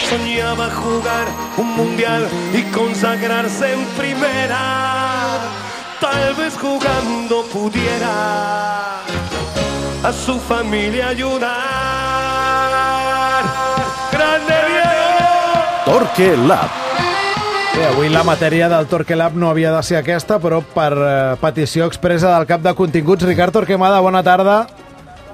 soñaba jugar un mundial y consagrarse en primera. Tal vez jugando pudiera a su familia ayudar. ¡Grande Diego! Torque Lab. Bé, avui la matèria del Torque Lab no havia de ser aquesta, però per petició expressa del cap de continguts, Ricard Torquemada, bona tarda.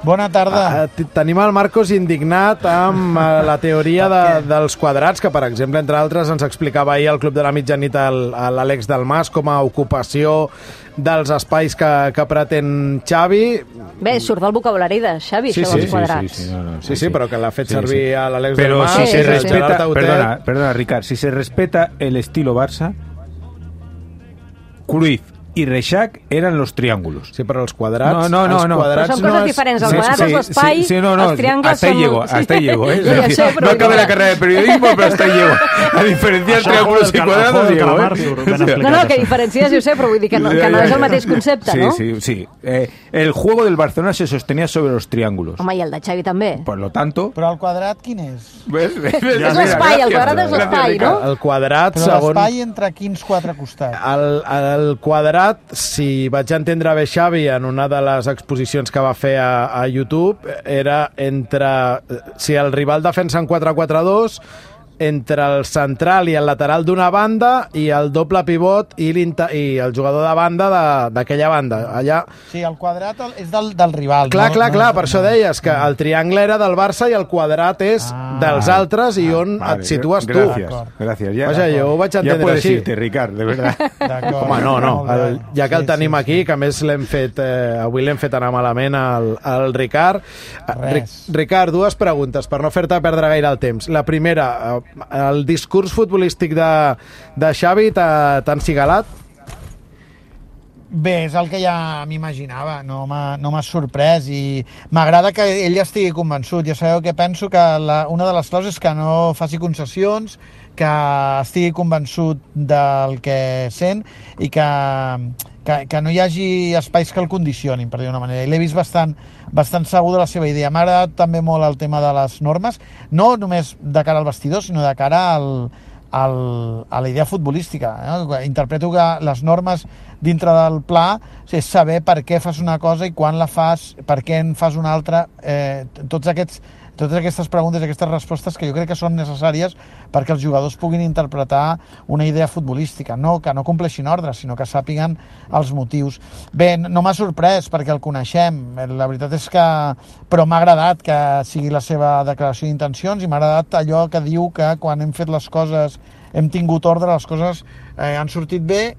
Bona tarda. Tenim el Marcos indignat amb la teoria dels quadrats, que, per exemple, entre altres, ens explicava ahir al Club de la Mitjanit l'Àlex Dalmas com a ocupació dels espais que pretén Xavi. Bé, surt del vocabulari de Xavi, això dels quadrats. Sí, però que l'ha fet servir a l'Àlex Dalmas. Pero si se respeta, perdona, Ricard, si se respeta el estilo Barça, Cruyff y Reixac eran los triángulos. Sí, però els quadrats... No. Però són coses diferents. Els quadrats és l'espai, els triangles hasta són... Hasta ahí llego. No acabé la carrera de periodismo, pero hasta ahí llego. A diferenciar triángulos y cuadrados llego. No, que diferències, jo sé, però vull dir que no és el mateix concepte, no? Sí. El juego del Barcelona se sostenía sobre los triángulos. Home, i el de Xavi també. Por lo tanto... Però el quadrat quin és? És l'espai, el quadrat és l'espai, no? El quadrat, però segons... l'espai entre quins quatre costats? El quadrat, si vaig entendre bé Xavi en una de les exposicions que va fer a YouTube, era entre... Si el rival defensa en 4-4-2, entre el central i el lateral d'una banda i el doble pivot i el jugador de banda d'aquella banda. Allà... Sí, el quadrat és del rival. Clar, per això deies que el triangle era del Barça i el quadrat és dels altres i on et situes tu. Gràcies. Vaja, jo ho vaig entendre així. Ja puedes irte, Ricard, de verdad. Home, no. Ja que el tenim aquí, que a més avui l'hem fet anar malament al Ricard. Ricard, dues preguntes per no fer-te perdre gaire el temps. La primera, el discurs futbolístic de Xavi t'ha encigalat? Bé, és el que ja m'imaginava, no m'ha sorprès i m'agrada que ell estigui convençut. Ja sabeu que penso que una de les claus és que no faci concessions, que estigui convençut del que sent i que no hi hagi espais que el condicionin, per dir d'una manera. I l'he vist bastant segur de la seva idea. M'ha agradat també molt el tema de les normes, no només de cara al vestidor, sinó de cara a la idea futbolística. Interpreto que les normes dintre del pla és saber per què fas una cosa i quan la fas, per què en fas una altra, totes aquestes preguntes, aquestes respostes que jo crec que són necessàries perquè els jugadors puguin interpretar una idea futbolística, que no compleixin ordres, sinó que sàpiguen els motius. Bé, no m'ha sorprès perquè el coneixem, la veritat és que... Però m'ha agradat que sigui la seva declaració d'intencions i m'ha agradat allò que diu que quan hem fet les coses, hem tingut ordre, les coses han sortit bé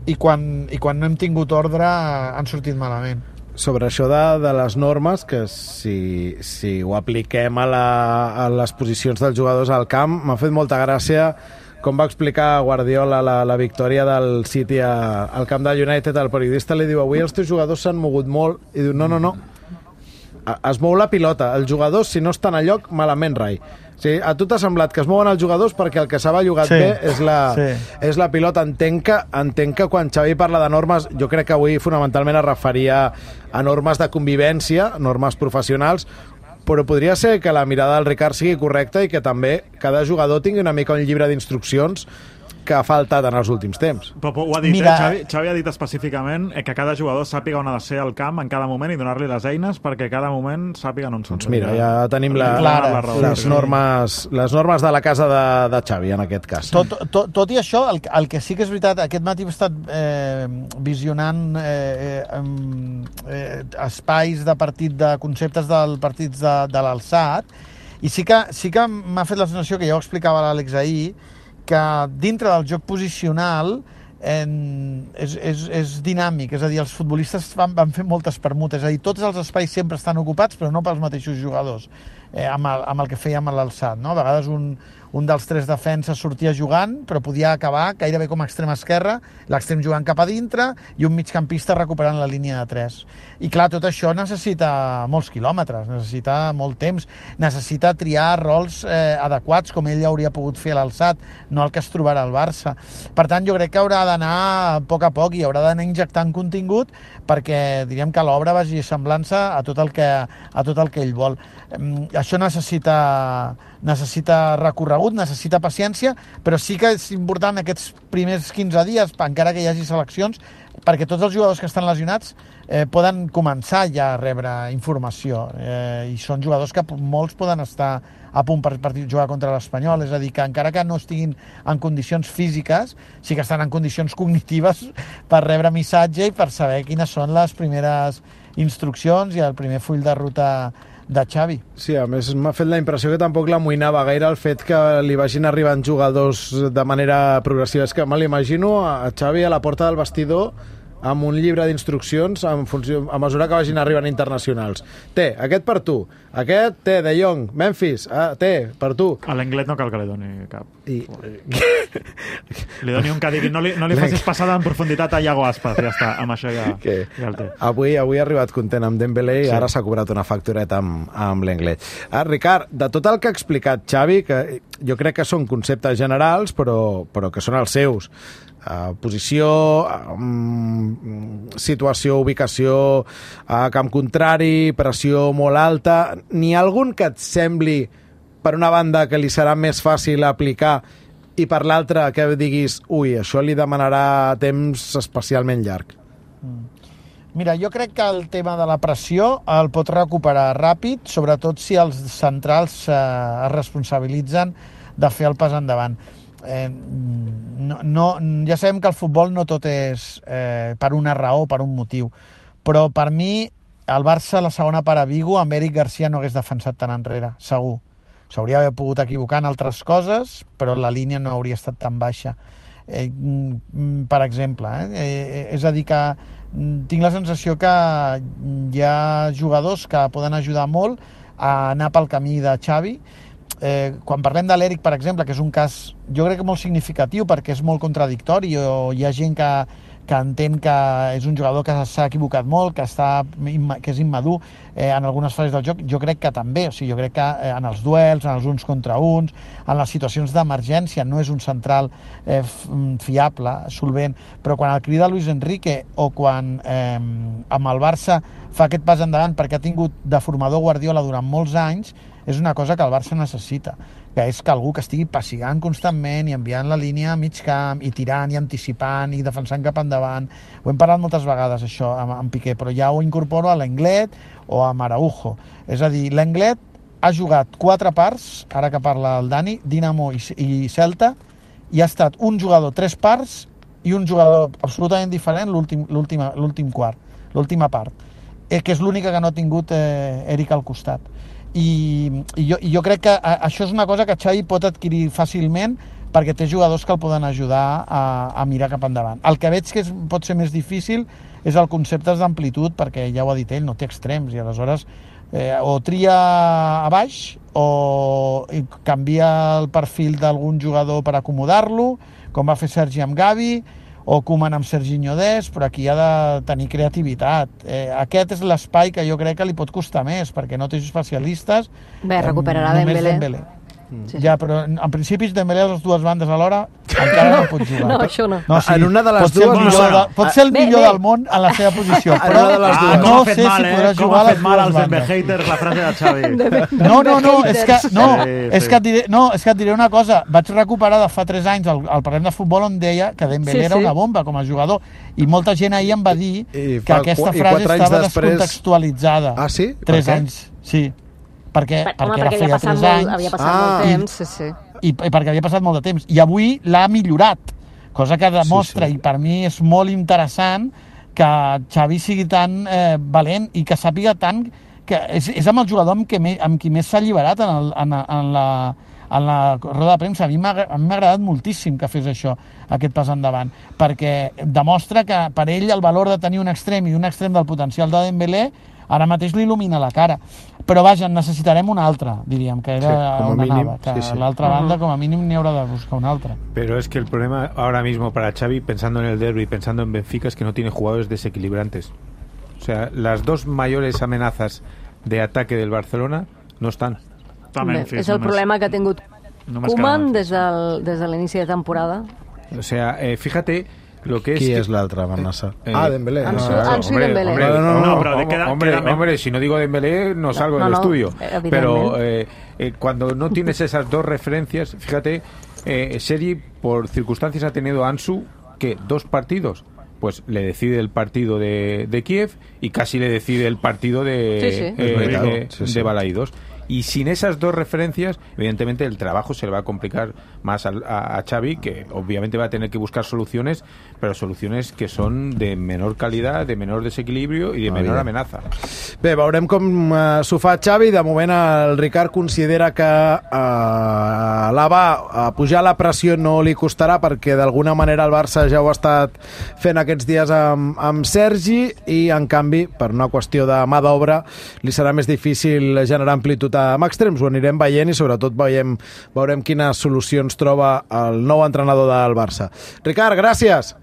i quan no hem tingut ordre han sortit malament. Sobre això de les normes, que si ho apliquem a les posicions dels jugadors al camp, m'ha fet molta gràcia com va explicar Guardiola la victòria del City al camp de United. El periodista li diu: avui els teus jugadors s'han mogut molt, i diu no, es mou la pilota, els jugadors si no estan a lloc malament rai. Sí, a tu t'ha semblat que es mouen els jugadors perquè el que s'ha bellugat bé és la pilota. Entenc que quan Xavi parla de normes, jo crec que avui fonamentalment es referia a normes de convivència, normes professionals, però podria ser que la mirada del Ricard sigui correcta i que també cada jugador tingui una mica un llibre d'instruccions que ha faltat en els últims temps. Però ho ha dit, Xavi ha dit específicament que cada jugador sàpiga on ha de ser al camp en cada moment i donar-li les eines perquè cada moment sàpiguen on són. Doncs mira, ja tenim les normes de la casa de Xavi, en aquest cas. Tot i això, el que sí que és veritat, aquest matí he estat visionant espais de partit, de conceptes del partits de l'alçat, i sí que m'ha fet la sensació, que ja ho explicava l'Àlex ahir, que dintre del joc posicional és dinàmic, és a dir, els futbolistes van fer moltes permutes, és a dir, tots els espais sempre estan ocupats, però no pels mateixos jugadors, amb el que fèiem a l'alçat, no? A vegades un dels tres defenses sortia jugant, però podia acabar gairebé com a extrem esquerre, l'extrem jugant cap a dintre i un migcampista recuperant la línia de 3. I clar, tot això necessita molts quilòmetres, necessita molt temps, necessita triar rols adequats, com ell hauria pogut fer a l'alçat, no el que es trobarà al Barça. Per tant, jo crec que haurà d'anar a poc i haurà d'anar injectant contingut perquè, diríem, que l'obra vagi semblant-se a tot el que ell vol. això necessita recorregut, necessita paciència, però sí que és important aquests primers 15 dies, encara que hi hagi seleccions, perquè tots els jugadors que estan lesionats poden començar ja a rebre informació, i són jugadors que molts poden estar a punt per jugar contra l'Espanyol, és a dir, que encara que no estiguin en condicions físiques, sí que estan en condicions cognitives per rebre missatge i per saber quines són les primeres instruccions i el primer full de ruta de Xavi. Sí, a més m'ha fet la impressió que tampoc l'amoïnava gaire el fet que li vagin arribant jugadors de manera progressiva. És que me l'imagino a Xavi a la porta del vestidor amb un llibre d'instruccions a mesura que vagin arribant internacionals. Té, aquest per tu, aquest té, De Jong, Memphis, té, per tu. A l'Englet no cal que li doni cap. Li doni un que digui, no li facis passada en profunditat a Iago Aspas, ja està, amb això ja el té. Avui ha arribat content amb Dembélé i ara s'ha cobrat una factureta amb l'Englet. Ricard, de tot el que ha explicat Xavi, que jo crec que són conceptes generals, però que són els seus, posició, situació, ubicació a camp contrari, pressió molt alta, n'hi ha algun que et sembli per una banda que li serà més fàcil aplicar i per l'altra que diguis ui, això li demanarà temps especialment llarg? Mira, jo crec que el tema de la pressió el pot recuperar ràpid, sobretot si els centrals es responsabilitzen de fer el pas endavant. Ja sabem que el futbol no tot és per una raó, per un motiu, però per mi el Barça la segona part a Vigo amb Eric Garcia no hagués defensat tan enrere, segur. S'hauria d'haver pogut equivocar en altres coses, però la línia no hauria estat tan baixa, per exemple, és a dir que tinc la sensació que hi ha jugadors que poden ajudar molt a anar pel camí de Xavi. Quan parlem de l'Eric, per exemple, que és un cas jo crec que molt significatiu perquè és molt contradictori, o hi ha gent que entén que és un jugador que s'ha equivocat molt, que és immadur en algunes fases del joc. Jo crec que també, o sigui, jo crec que en els duels, en els uns contra uns, en les situacions d'emergència no és un central fiable, solvent, però quan el crida Luis Enrique o quan amb el Barça fa aquest pas endavant perquè ha tingut de formador Guardiola durant molts anys, és una cosa que el Barça necessita, que és que algú que estigui pessigant constantment i enviant la línia a mig camp i tirant i anticipant i defensant cap endavant. Ho hem parlat moltes vegades, això, amb Piqué, però ja ho incorporo a l'Englet o a Araujo. És a dir, l'Englet ha jugat 4 parts, ara que parla el Dani, Dinamo i Celta, i ha estat un jugador 3 parts i un jugador absolutament diferent l'últim quart, l'última part, que és l'única que no ha tingut Eric al costat. I jo crec que això és una cosa que Xavi pot adquirir fàcilment perquè té jugadors que el poden ajudar a mirar cap endavant. El que veig que pot ser més difícil és el concepte d'amplitud, perquè ja ho ha dit ell, no té extrems, i aleshores o tria a baix o canvia el perfil d'algun jugador per acomodar-lo, com va fer Sergi amb Gavi, o Koeman amb Serginho Dest, però aquí ha de tenir creativitat. Aquest és l'espai que jo crec que li pot costar més, perquè no té especialistes. Bé, recuperarà Dembélé. Sí. Ja, però en principi Dembélé a les dues bandes alhora encara no pot jugar. No, això no. Sí, en una de les dues pot ser el millor del món en la seva posició, però no sé si podrà jugar a les dues bandes. mal als Dembe-haters la frase de Xavi. És que et diré una cosa. Vaig recuperar de fa 3 anys el parlem de futbol on deia que Dembélé era una bomba com a jugador, i molta gent ahir em va dir que aquesta frase estava descontextualitzada. Ah, sí? 3 anys, sí. Perquè havia passat molt temps, sí. I perquè havia passat molt de temps. I avui l'ha millorat, cosa que demostra, i per mi és molt interessant que Xavi sigui tan valent i que sàpiga tant que és amb el jugador amb qui més s'ha alliberat en la roda de premsa. A mi m'ha agradat moltíssim que fes això, aquest pas endavant, perquè demostra que per ell el valor de tenir un extrem i un extrem del potencial de Dembélé ara mateix li il·lumina la cara. Però vaja, necessitarem una altra, diríem, que era on anava. Que a l'altra banda, com a mínim, n'hi haurà de buscar una altra. Pero es que el problema ahora mismo para Xavi, pensando en el derbi, pensando en Benfica, es que no tiene jugadores desequilibrantes. O sea, las dos mayores amenazas de ataque del Barcelona no están. És el problema que ha tingut Koeman des de l'inici de temporada. O sea, fíjate Qui és l'altre amenaça? Dembélé. Ansu i Dembélé. Hombre, si no digo Dembélé no salgo del estudio. Pero cuando no tienes esas dos referencias, fíjate, Sergi por circunstancias ha tenido Ansu que 2 partidos, pues le decide el partido de Kiev y casi le decide el partido de Balaídos. Y sin esas dos referencias, evidentemente el trabajo se le va a complicar más a Xavi, que obviamente va a tener que buscar soluciones, pero soluciones que són de menor qualitat, de menor desequilibrio i de menor amenaça. Bé, veurem com s'ho fa Xavi. De moment el Ricard considera que pujar la pressió no li costarà, perquè d'alguna manera el Barça ja ho ha estat fent aquests dies amb Sergi, i en canvi, per una qüestió de mà d'obra, li serà més difícil generar amplitud amb extrems. Ho anirem veient i sobretot veurem quines solucions troba el nou entrenador del Barça. Ricard, gràcies!